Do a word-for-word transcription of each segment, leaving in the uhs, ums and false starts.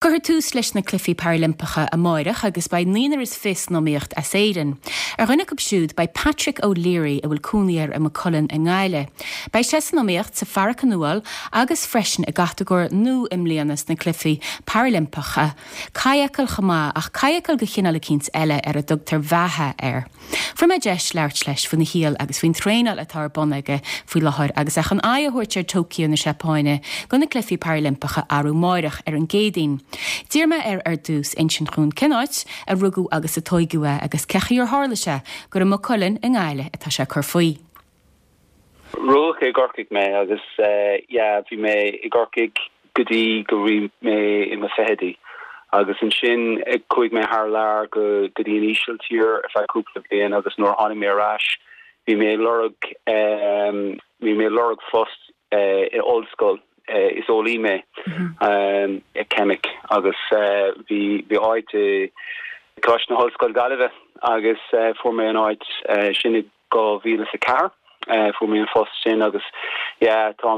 Cuirfear tús leis na Cluichí Parailimpeacha amárach agus beidh naonúr is fiche san iomaíocht as Éirinn. Ar dhuine acu siúd beidh Patrick O'Leary a bhfuil cónaí air i Maigh Cuilinn i nGaillimh. Beidh sé san iomaíocht sa pharachanúáil agus freisin i gcatagóir nua i mbliana sna Cluichí Parailimpeacha. Cadhcáil chomh maith ach cadhcáil de chineál eicínt eile ar a dtugtar beatha air. Fuair mé deis labhairt leis faoina shaol agus faoin traenáil atá ar bun aige faoi láthair agus é chun aghaidh a thabhairt ar Tokyo na Seapáine do na Cluichí Parailimpeacha arú amárach ar an gCéadaoin. D'iarr mé air ar dtús insint dhúinn cén áit a rugadh agus a tóigeadh é agus cén chaoi ar tharla sé gur i Maigh Cuilinn i nGaillimh atá sé ag cur faoi. Rugadh i gCorcaigh mé agus uh, yeah, bhí mé i gCorcaigh go dtí go raibh mé i mo fichidí. agus ansin chuaigh mé thar lear go go dtí an Ísiltír ar feadh cúpla bliain agus nuair tháinig mé ar ais bhí mé lorg um, bhí mé lorg post uh, i ollscoil uh, is eolaí mé um, i ceimic agus uh, bhí bhí áit i Coláiste na hOllscoile Gaillimhe agus uh, fuair mé an áit uh, sin i dhá mhíle a ceathair. Uh, fuair mé an post sin agus yeah, tá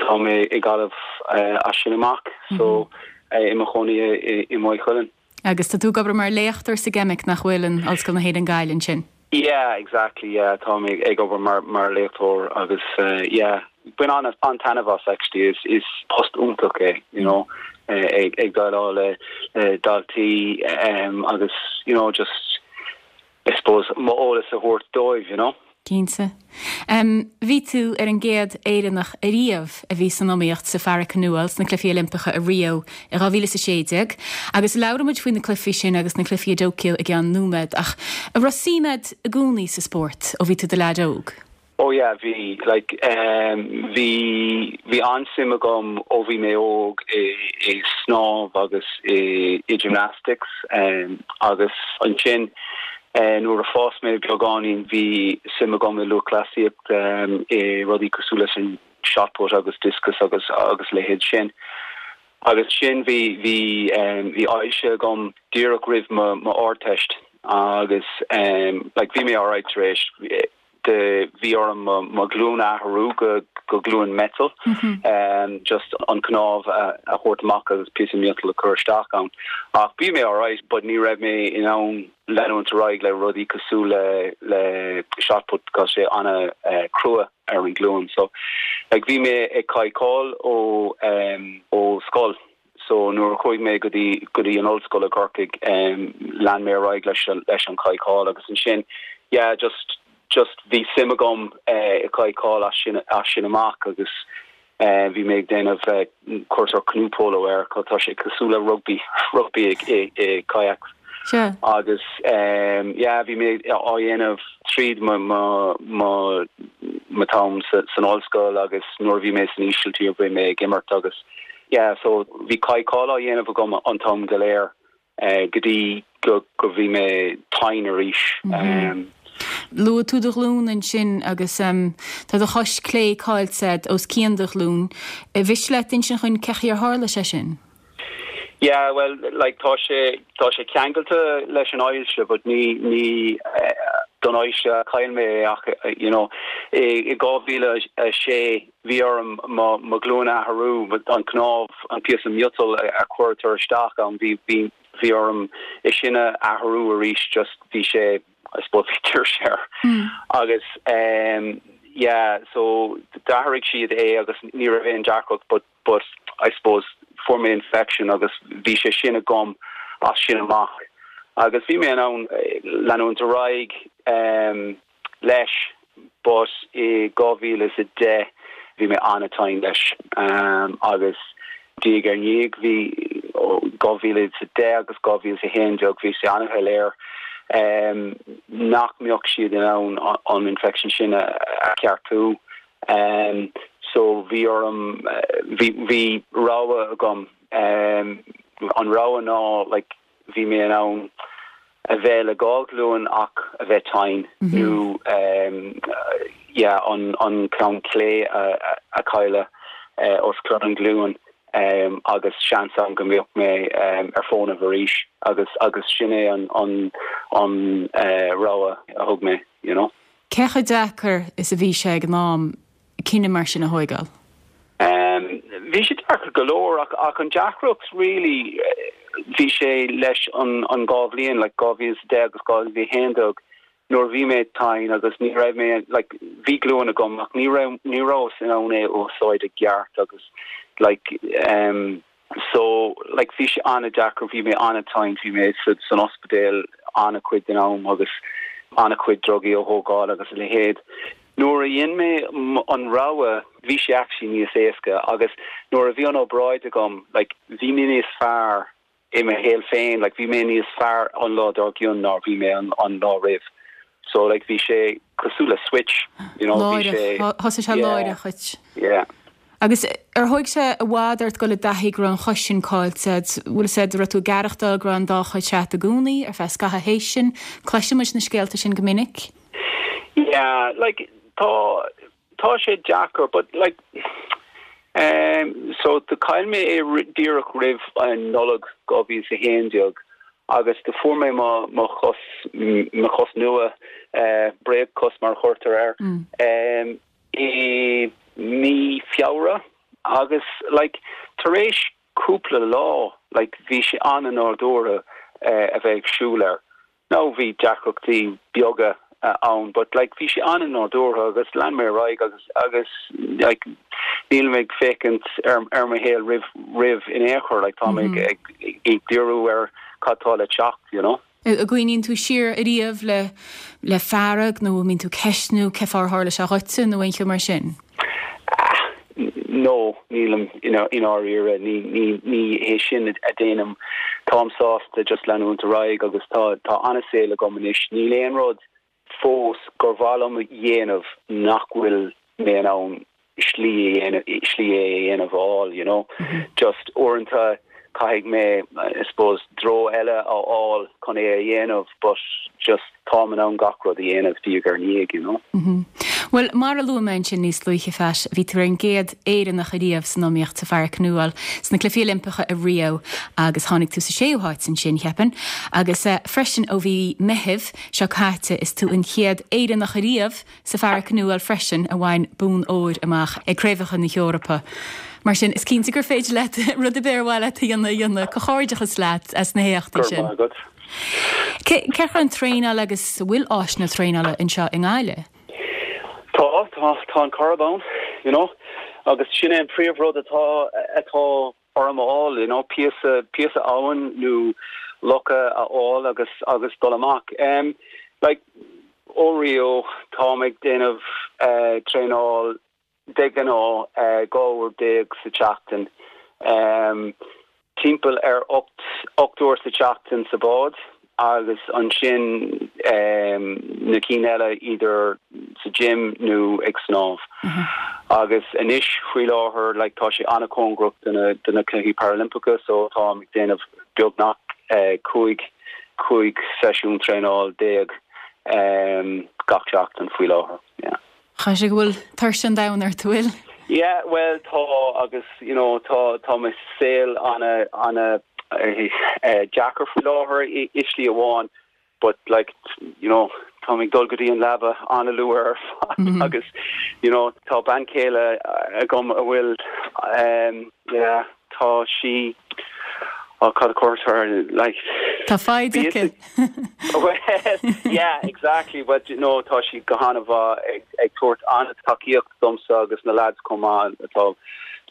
tá mé i Gaillimh uh, as sin amach mm -hmm. so uh, i mo chónaí i Maigh Cuilinn. Agus tá tú ag obair mar léachtóir sa gceimic nach bhfuil in Ollscoil na hÉireann Gaillimh sin. Yeah, exactly yeah tá mé ag obair mar mar léachtóir agus uh, yeah bainim an an-taitneamh as actually is is post iontach é you know uh, ag ag déileáil le uh, daltaí um, agus you know just I suppose m'eolas a thabhairt dóibh you know. Cinnte. Um, bhí tú ar an gcéad Éireannach ariamh a bhí san iomaíocht sa pharachanúáil sna Cluichí Oilimpeacha i Rio i dhá mhíle a sé déag, agus labhróimid faoi na cluichí sin agus na cluichí i dTokyo i gceann nóiméad ach an raibh suim agat i gcónaí sa spórt ó bhí tú i do leaid óg. Oh yeah, bhí like um, bhí bhí an-suim agam ó bhí mé óg i, i snámh agus i, i gymnastics um, agus ansin uh, nuair a fás mé beagáinín bhí suim agam i lúthchleasaíocht um, i rudaí cosúil leis an shotput agus discus agus agus leithéid sin. Agus sin bhí bhí um, bhí ailse agam díreach roimh mo mo Ardteist agus um, like, bhí mé alright tar éis de bhí orm mo ghlúin a athrú go go glúin metal mm -hmm. um, just an cnámh a, a thabhairt amach agus píosa miotal a chur isteach ann. Ach bhí mé alright, but ní raibh mé in ann leanúint ar aghaidh le rudaí cosúil le le shotput go sé an- uh, crua ar an glúin. So like, bhí mé ag cadhcáil ó um, ó scoil. So nuair a chuaigh mé go dtí go dtí an ollscoil i gCorcaigh um, lean mé ar aghaidh leis leis an cadhcáil agus ansin yeah, just just bhí suim agam uh, i cadhcáil as sin as sin amach agus uh, bhí mé ag déanamh uh, cúrsa canoe polo air tá sé cosúil le rugby rugby i, i, i kayak. Sure. agus um, yeah, bhí mé á dhéanamh tríd mo mo mo am san ollscoil agus nuair bhí mé san Ísiltír bhí mé ag imirt agus yeah, so bhí cadhcáil á dhéanamh agam an t-am go léir uh, go dtí go go bhí mé tinn arís. Mm -hmm. um, Luaigh tú do ghlúin ansin agus um, tá do chois clé caillte os cionn do ghlúin. Mhiste leat insint dhúinn cén chaoi ar tharla sé sin? Yeah, well like tá sé tá sé ceangailte leis an ailse, but ní ní uh, don ailse a chaill mé ach you know i i dhá mhíle a sé bhí orm mo mo ghlúin a athrú an cnámh an píosa miotal a chuirtear isteach an bhí bhí bhí orm é sin a athrú arís just bhí sé I suppose tuirse mm. agus um, yeah so d'athraigh siad é agus ní raibh aon deacracht but but I suppose fuair mé infection agus bhí sé sin agam as sin amach agus bhí mé an leanúint ar aghaidh um, leis but i dhá mhíle a deich bhí mé an-tinn leis um, agus diaidh ar ndiaidh bhí dhá mhíle a deich agus dhá mhíle a haon déag bhí sé an-shoiléir um, nach mbeadh siad in ann an infection sin a, a cheartú. Um, so bhí orm bhí bhí rogha agam um, an rogha ná like, bhí mé in ann a bheith le dhá ghlúin ach a bheith tinn mm -hmm. nó um, yeah, an, an ceann clé a, a, a chailleadh uh, os cionn an ghlúin um, agus seans ann go mbeadh mé um, ar fónamh arís agus agus sin é an an an uh, rogha a thug mé you know. Cé chomh deacair is a bhí sé ag an am cinneadh mar sin a thógáil? Um, Bhí sé deacair go leor ach ach an deacracht really bhí sé leis an an dhá bhliain like dhá mhíle is deich agus dhá mhíle haon déag nuair bhí mé tinn agus ní raibh mé like bhí glúin agam ach ní raibh ní raibh in ann é úsáid i gceart agus like um, so like bhí sé an-deacair bhí mé an-tinn bhí mé san ospidéal an-chuid den am agus an-chuid drugaí a thógáil agus a leithéid. Nuair a dhein mé an rogha bhí sé actually níos éasca agus nuair a bhí an obráid agam like bhí mé níos fearr i mo shaol féin like bhí mé níos fearr an lá dár gcionn ná bhí mé an, an lá roimh. So like bhí sé cosúil le switch you know bhí sé Thosaigh sé láithreach. Yeah. Agus ar thóg sé i bhfad ort dul i dtaithí go raibh an chois sin caillte, bhfuil sé raibh tú ag aireachtáil go raibh an dá chois agat i gcónaí ar feadh scaitheamh théis sin, cloisimid na scéalta sin go minic? Yeah, like tá tá sé deacair, but like um, so do chaill mé é díreach roimh an Nollaig dhá mhíle a haon déag agus do fuair mé mo mo chos mo chos nua uh, bréagchos mar chuirtear air mm. um, i mí Feabhra agus like tar éis cúpla lá like bhí sé an-nádúrtha uh, a bheith ag siúl air. No bhí deacrachtaí beaga uh, ann, but like bhí sé an-nádúrtha agus lean mé ar aghaidh agus agus like níl mé ag féachaint ar ar mo shaol roimh roimh in aon chor like tá mé mm -hmm. ag, ag, ag díriú ar cad tá le teacht you know. An gcuimhníonn tú siar ariamh le le fearg nó mbíonn tú ceistniú cén fáth ar tharla sé dhuitse nó aon cheo mar sin? No, nílim i ndáiríre ní ní ní hé sin a déanaim táim sásta just leanúint ar aghaidh agus tá tá an-saol agam anois níl aon rud fós gur mhaith liom a dhéanamh nach bhfuil mé in ann slí slí é a dhéanamh fháil you know mm -hmm. just uaireanta caithfidh mé I suppose treo eile a fháil chun é a dhéanamh but just táim in ann gach rud a dhéanamh diaidh ar ndiaidh you know mm -hmm. Well mar a luaigh mé ansin níos luaithe Pat bhí tú ar an gcéad Éireannach ariamh san iomaíocht sa pharacanúáil sna Cluichí Oilimpeacha i Rio agus tháinig tú sa séú háit ansin cheapfainn agus uh, freisin ó mhí Mheithimh seo caite is tú an chéad Éireannach ariamh sa pharacanúáil freisin a bhain bonn óir amach ag Craobhacha na hEorpa. Mar sin is cinnte gur féidir leat rud ar bith ar mhaith leat a dhéanamh a dhéanamh comhghairdeachas leat as na héachtaí sin. Cén chaoi an traenáil agus bhfuil áiseanna traenála anseo i nGaillimh? Tá tá tá an Coirib ann, you know, agus sin é an príomhrud atá atá orm a fháil, you know, píosa píosa abhann nó locha a fháil agus agus dul amach. Um, like ó Rio tá ag déanamh uh, traenáil de ghnáth uh, dhá uair déag sa tseachtain. Um, timpeall ar ocht ocht uair sa tseachtain sa bád agus ansin um, na cinn eile idir sa gym nó ag snámh. Mm -hmm. Agus anois faoi láthair like, tá sé an-chóngarach do na do na Cluichí Parailimpeacha so tá ag déanamh beagnach uh, cúig cúig seisiún traenáil déag um, gach seachtain faoi láthair. Yeah. Tá sé go bhfuil tuirse an domhain ort bhfuil? Yeah, well tá agus you know tá tá mo saol an- an- uh, deacair faoi láthair i slí amháin but like you know tá ag dul go dtí an leaba an-luath mm -hmm. agus you know tá bean chéile agam a bhfuil um, yeah, tá sí oh, cad cuair like Tá fáide well, yeah exactly but you know tá sí go han-mhaith ag, ag tabhairt an-tacaíocht domsa agus na lads chomh maith atá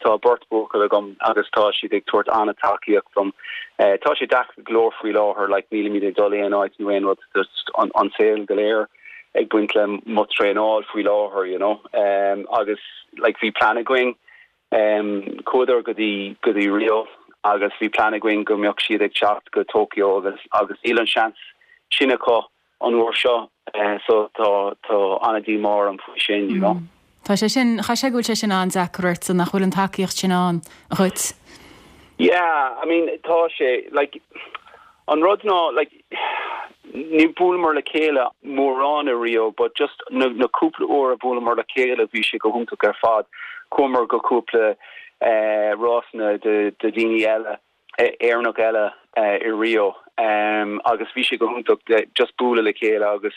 tá beirt bhuachaill agam agus tá siad ag tabhairt an-tacaíocht dom uh, tá sé deacair go leor faoi láthair like nílimid ag dul aon áit nó aon rud just an, an saol go léir ag baint le mo traenáil faoi láthair you know um, agus like bhí plean againn um, chuadar go dtí go dtí Rio agus bhí plean againn go mbeadh siad ag teacht go Tokyo agus agus níl an seans sin acu an uair seo uh, so tá tá an-díomá orm faoi sin you know. Mm. Tá sé sin cha sé bhfuil sé sin an-deacair nach bhfuil an tacaíocht sin ann dhuit. Yeah, I mean tá sé like an rud ná like ní bhuaileamar le chéile mórán i Rio, but just na, na cúpla uair a bhuaileamar le chéile bhí sé go hiontach ar fad chuamar go cúpla uh, rásanna de de daoine eile Éireannach eile uh, i Rio um, agus bhí sé go hiontach just bualadh le chéile agus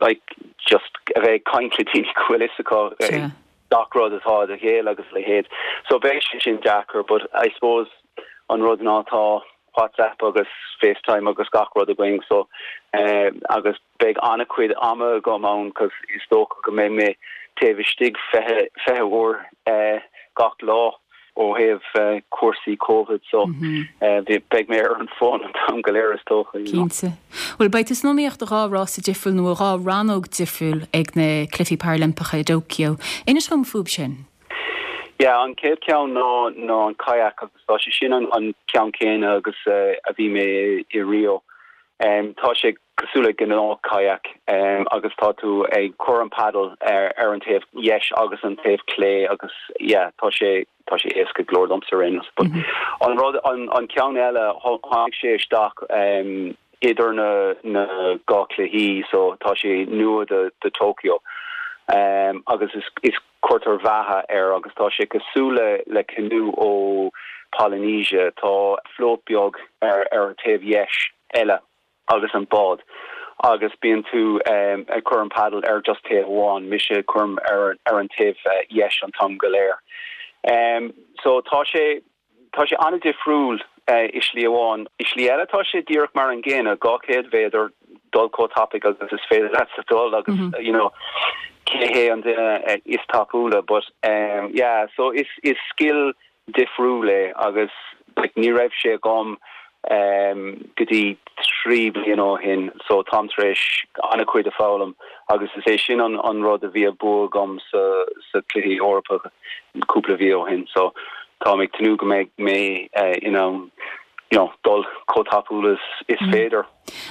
like just a bheith caint le daoine go bhfuil Gach rud atá do chéile agus leithéid. So beidh sé sin deacair, but I suppose an rud ná tá WhatsApp agus FaceTime agus gach rud againn so uh, agus beidh an-chuid ama agam ann cos is dócha go mbeidh mé taobh istigh fiche fiche uair uh, gach lá ó thaobh uh, cúrsaí COVID so mm -hmm. uh, beidh mé ar an fón an t-am go léir is dócha. Cinnte. Well beidh tú san iomaíocht dhá rása difriúil nó dhá rannóg difriúil ag na Cluichí Parailimpeacha i dTóiceo. Inis dom fúthu sin. Yeah, an chéad ceann ná ná an kayak agus tá sé sin an, an ceann céanna agus uh, a bhí mé i Rio. Um, tá sé cosúil le gnáth kayak um, agus tá tú ag cur an paddle ar, ar an taobh dheis agus an taobh clé agus yeah, tá sé tá sé éasca go leor domsa ar but mm -hmm. an rud an, an ceann eile tháinig sé isteach um, idir na na dhá chluichí so tá sé nua de, de Tokyo. Um, agus is, is cuirtear beatha air agus tá sé cosúil le le canoe ó Polynesia tá float beag ar ar an taobh dheis eile agus an bád agus bíonn tú um, ag cur an paddle ar just taobh amháin mise cuirim ar ar an taobh uh, dheis an t-am go léir. Um, so tá sé tá sé an-difriúil uh, i slí amháin i slí eile tá sé díreach mar an gcéanna dhá chéad méadar dul chomh tapaidh agus is féidir leat sa dul agus mm -hmm. you know cé hé an duine uh, is tapúla but um, yeah so is is skill difriúil é agus like, ní raibh sé agam um, go dtí trí bliana ó shin so táim tar éis an-chuid a fhoghlaim agus is é sin an, an rud a bhí a bua agam sa sa Cluichí Eorpacha cúpla mhí ó shin so tá ag tnúth go mbeidh mé uh, in ann you know, dul chomh tapúil is, is mm. féidir.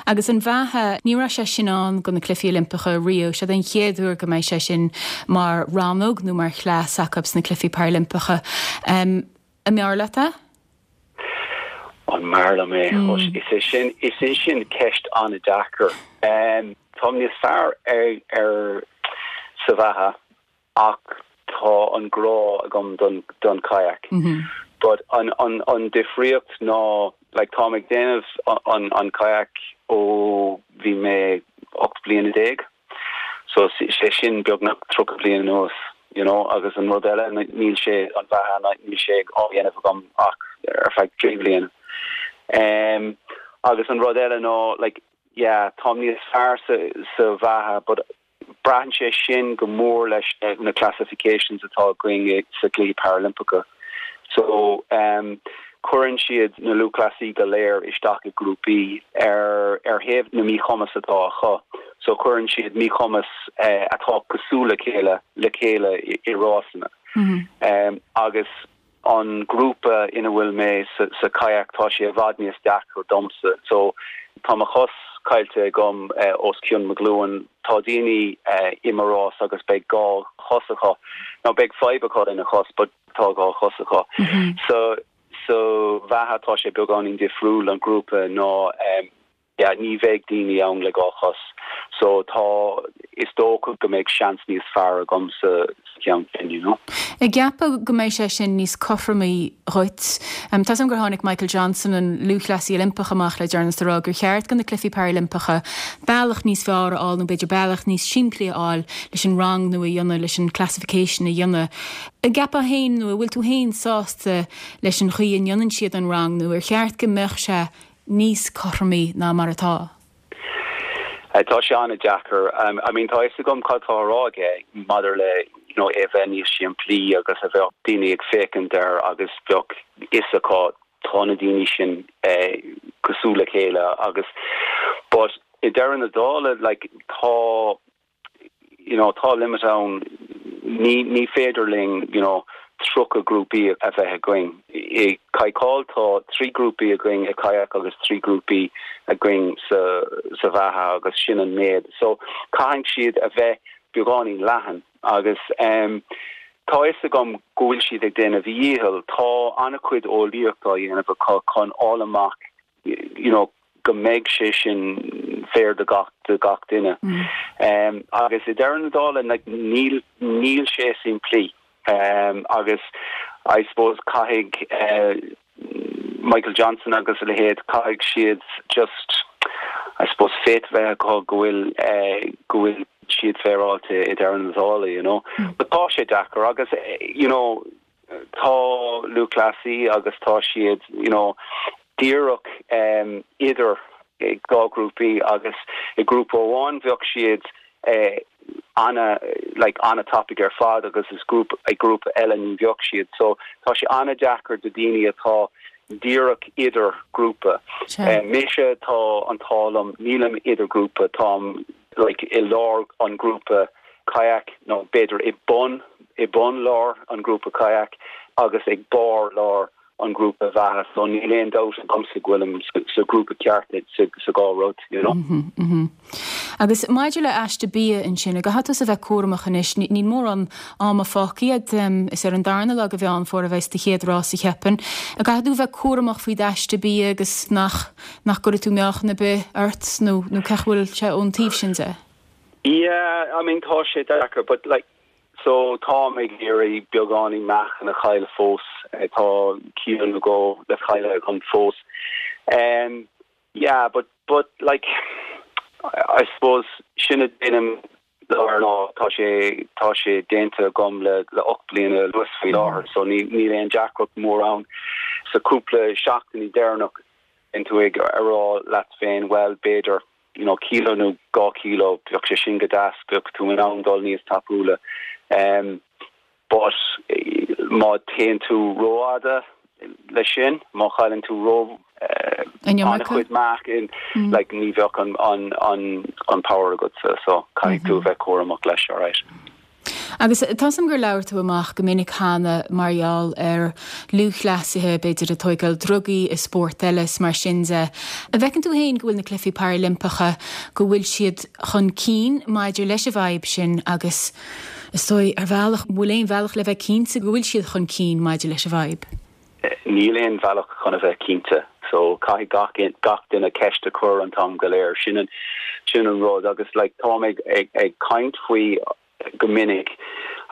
Agus an bheatha ní raibh sé sin ann go na Cluichí Oilimpeacha Rio sé an chéad uair go mbeidh sé sin mar rannóg nó mar chleas acu sna Cluichí Parailimpeacha. Um, an mb'fhearr leat é? An mb'fhearr liom é mm. is é sin is é sin ceist an-deacair. Um, Tá níos fearr ar, ar sa bheatha ach tá an grá agam don, don kayak. Mm -hmm. But an, an, an difríocht ná like, tá ag déanamh an, an kayak ó bhí mé ocht bliana déag. So sé sin beagnach tríocha bliain anuas you know, agus an rud eile níl sé an bheatha níl sé á dhéanamh agam ach ar feadh trí bliana. Um, agus an rud eile ná like, yeah, tá níos fearr sa, sa bheatha, but braitheann sé sin go mór leis na, na classifications atá againn sa Cluichí Paralympiacha. So um, cuireann siad na lúthchleasaithe go léir isteach i grúpaí ar ar thaobh na míchumas atá acu. So cuireann siad míchumas uh, atá cosúil le chéile le chéile i, i rásanna. Mm -hmm. um, agus an grúpa ina bhfuil mé sa, sa kayak tá sé i bhfad níos deacra domsa. So tá mo chos caillte agam uh, os cionn mo ghlúin tá daoine uh, i mo rás agus beidh dhá chos acu. Nó beidh fadhb acu ina chos, but tá dhá chos acu. Mm -hmm. So so bheatha tá sé beagáinín difriúil an grúpa ná um, yeah, ní bheidh daoine ann le dhá chos. So tá is dócha go mbeidh seans níos fearr agam sa ceann sin, you know. Ag ceapadh go mbeidh sé sin níos cothromaí dhuit. Um, Tá gur tháinig Michael Johnson an lúthchleasaí Oilimpeach amach le deireanas rá gur cheart go na Cluichí Parailimpeacha bealach níos fearr a fháil nó b'fhéidir bealach níos simplí a fháil leis an rangnú a dhéanamh leis an classification a dhéanamh. An gceapann féin nó bhfuil tú féin sásta leis an chaoi a ndéanann siad an rangnú ar cheart go mbeadh sé níos cothromaí ná mar atá. Uh, tá sé an-deacair um, I mean tá fhios agam cad tá á rá aige maidir le you know, é bheith níos simplí agus a bheith daoine ag féachaint air agus bheadh fhios acu tá na daoine sin eh, cosúil le chéile agus but i ndeireadh na dála like tá you know tá limit ann ní ní féidir linn you know tríocha grúpaí a bheith againn. I cadhcáil tá trí grúpaí againn i kayak agus trí grúpaí againn sa sa bheatha agus sin an méid. So caithfidh siad a bheith beagáinín leathan agus um, tá fhios agam go bhfuil siad ag déanamh a ndícheall tá an-chuid eolaíocht á dhéanamh acu chun fháil amach you know, go mbeidh sé sin fair do gach do gach duine. Mm. Um, agus i ndeireadh na dála like, níl níl sé simplí. Um, agus I suppose caithfidh uh, Michael Johnson agus a leithéid caithfidh siad just I suppose faith bheith acu go bhfuil eh, go bhfuil siad féaráilte i deireadh na dála you know mm. but tá sé deacair agus eh, you know tá lúthchleasaí agus tá siad you know díreach um, idir dhá grúpaí agus i grúpa amháin bheadh siad eh, ana like an-tapaidh ar fad agus is grúpa ag grúpa eile ní bheadh siad so tá sé an-deacair do daoine atá díreach idir grúpa uh, mise tá an t-ádh liom nílim idir grúpa táim like i lár an grúpa kayak nó b'fhéidir i bun i bun lár an grúpa kayak agus ag barr lár an grúpa bheatha so níl aon dabht agamsa go bhfuilim sa grúpa ceart sa sa dhá rud you know mm -hmm, mm -hmm. Agus maidir le aiste bia ansin a caithfidh tú a bheith cúramach anois níl mórán ama fágtha um, is ar an darna lá de Mheán Fómhair a bheas do chéad rás a cheapaim. A caithfidh tú bheith cúramach faoi d'aiste bia agus nach nach gcuirfidh tú meáchan ar bith ort nó nó cén chaoi bhfuil sé ón taobh sin de. Yeah, I mean tá sé deacair, but like so tá ag iarraidh beagáinín meáchan a chailleadh fós eh, tá kilo nó dhó le cailleadh agam fós. Um, yeah, but but like I, I suppose sin a déanaim ná tá sé tá sé déanta agam le le ocht bliana anuas faoi láthair, so ní níl aon deacracht mór ann sa cúpla seachtainí deireanach tú ag rá leat féin well b'fhéidir you know kilo nó dhá kilo bheadh sé sin go deas bheadh tú in ann dul níos tapúla um but eh, má téann tú rófhada leis sin má chailleann tú ró uh, an-chuid meáchan mm. like ní bheadh an an an an power agat so, so caithfidh tú mm -hmm. bheith cúramach leis alright. Agus tá sam gur labhair tú amach go minic cheana mar gheall ar lúthchleasaithe b'fhéidir ag tógáil drugaí i spórt eile mar sin de. An bhfeiceann tú féin go bhfuil na Cluichí Parailimpeacha go bhfuil siad chun cinn maidir leis an bhfadhb sin agus is dóigh ar bhealach bhfuil aon bhealach le bheith cinnte go bhfuil siad chun cinn maidir leis an bhfadhb. Níl aon bhealach chun a bheith cinnte, so caithfidh gach gach duine ceist a chur an t-am go léir sin an sin an rud agus like tá ag ag, ag caint faoi go minic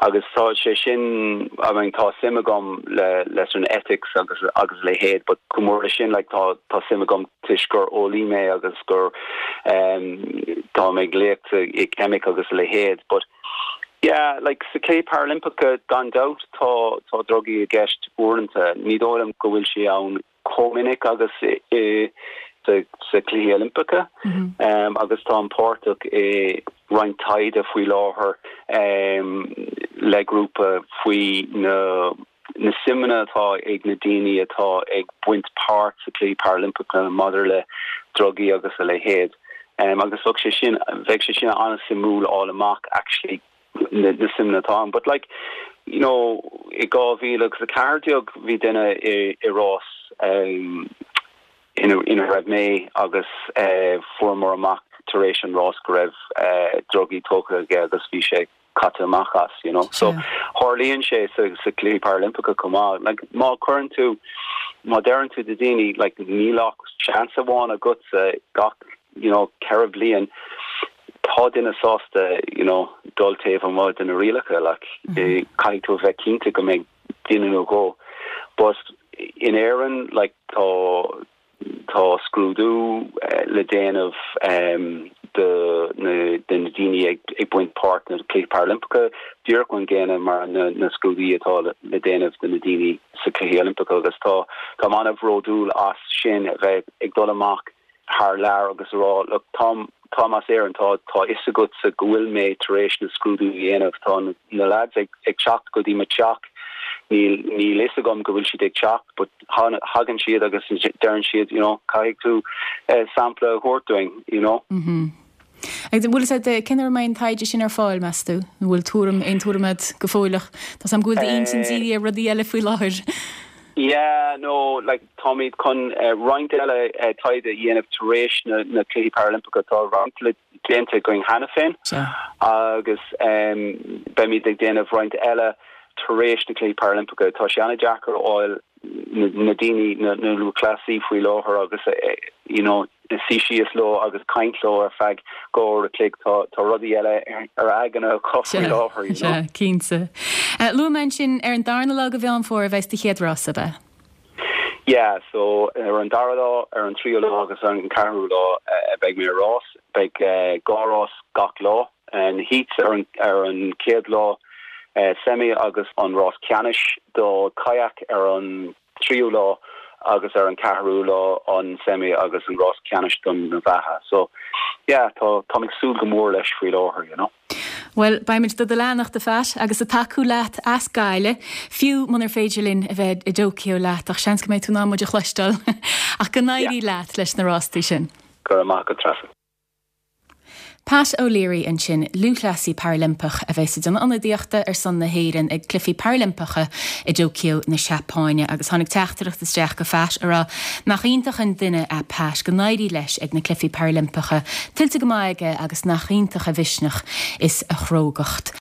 agus tá sé sin I mean, tá suim agam le leis an ethics agus agus le héad, but go mór sin like, tá tá suim agam toisc gur eolaí mé agus gur um, tá ag léacht i ceimic agus le héad, but yeah, like sa Cluichí Parailimpeacha gan dabht tá tá drugaí i gceist uaireanta ní dóigh liom go bhfuil sé ann chomh minic agus i, i sa, sa Cluichí Oilimpeacha mm -hmm. um, agus tá páirteach i roinnt taighde faoi láthair um, le grúpa faoi na na suimeanna atá ag na daoine atá ag baint páirt sa Cluichí Parailimpeacha maidir le drugaí agus a leithéid. Um, agus bheadh sé sin bheadh sé sin an-suimiúil fháil amach actually na, na suimeanna atá ann. But like you know i dhá mhíle agus a ceathair déag bhí duine i, i rás um, ina ina raibh mé agus uh, fuaireamar amach tar éis an rás go raibh uh, drugaí tógtha aige agus bhí sé caite amach as you know so tarlaíonn sé sa sa Cluichí Parailimpeacha chomh maith like má chuireann tú má deireann tú do daoine like níl ach seans amháin agat sa gach you know ceithre bliain tá duine sásta you know dul taobh amuigh de na rialacha like mm -hmm. caithfidh tú bheith cinnte go mbeidh duine nó dhó but in Éirinn like tá tá scrúdú uh, le déanamh um, de na de na daoine ag, ag baint páirt na Cluichí Parailimpeacha díreach an gcéanna mar na, na scrúduithe atá le, le déanamh de na daoine sa Cluichí Oilimpeacha agus tá tá an-bhródúil as sin bheith ag dul amach thar lear agus rá look táim tá as Éirinn tá tá a fhios agat sa go bhfuil mé tar éis na scrúdú dhéanamh tá na, na lads ag, ag teacht go dtí mo teach níl níl a fhios agam go bhfuil siad ag teacht but thagann siad agus deireann siad you know caithfidh tú uh, sampla a thabhairt dúinn you know mm -hmm. Agus bhfuil sé cén uair an taighde sin ar fáil meas tú, bhfuil tuairim aon tuairim agat go fóilleach Tá sam bhfuil aon sin é rudaí eile faoi láthair. Yeah, no, like táimid chun uh, roinnt eile uh, taighde a dhéanamh tar éis na, na Cluichí Parailimpeacha tá roinnt le déanta againn cheana féin agus um, beimid ag déanamh roinnt eile tar éis na Cluichí Parailimpeacha tá sé an-deacair fháil na, na daoine na, na lúthchleasaí faoi láthair agus uh, you know suí síos leo agus caint leo ar feadh dhá uair a chloig tá tá rudaí eile ar aigne acu faoi láthair you know? Cinnte. Uh, Luaigh mé ansin ar an darna lá de Mheán Fómhair a bheas do chéad rás ab ea. Yeah, so ar an dara lá ar an tríú lá agus an ceathrú lá uh, beidh mé rás beidh uh, dhá rás gach lá an heats ar an ar an chéad lá uh, semi agus an rás ceannais do kayak ar an tríú lá agus ar an ceathrú lá an semi agus an rás ceannais don na bheatha. So yeah, tá tá ag súil go mór leis faoi láthair, you know. Well beimid do do leanacht a Phat agus ag tacú leat as Gaillimh, fiú munar féidir linn a bheith i dTóiceo leat ach seans go mbeidh tú in ann muid a chloisteáil ach go n-éirí leat leis na rástaí sin. Go raibh maith agat Treasa. Pat O'Leary ansin lúthchleasaí Parailimpeach a bheas ag déanamh ionadaíochta ar son na hÉireann ag Cluichí Parailimpeacha i dTóiceo na Seapáine agus tháinig teachtaireacht isteach go Phat a rá nach iontach an duine é Pat go n-éirí leis ag na Cluichí Parailimpeacha, tuillte go maith aige agus nach iontach a mhisneach is a chrógacht.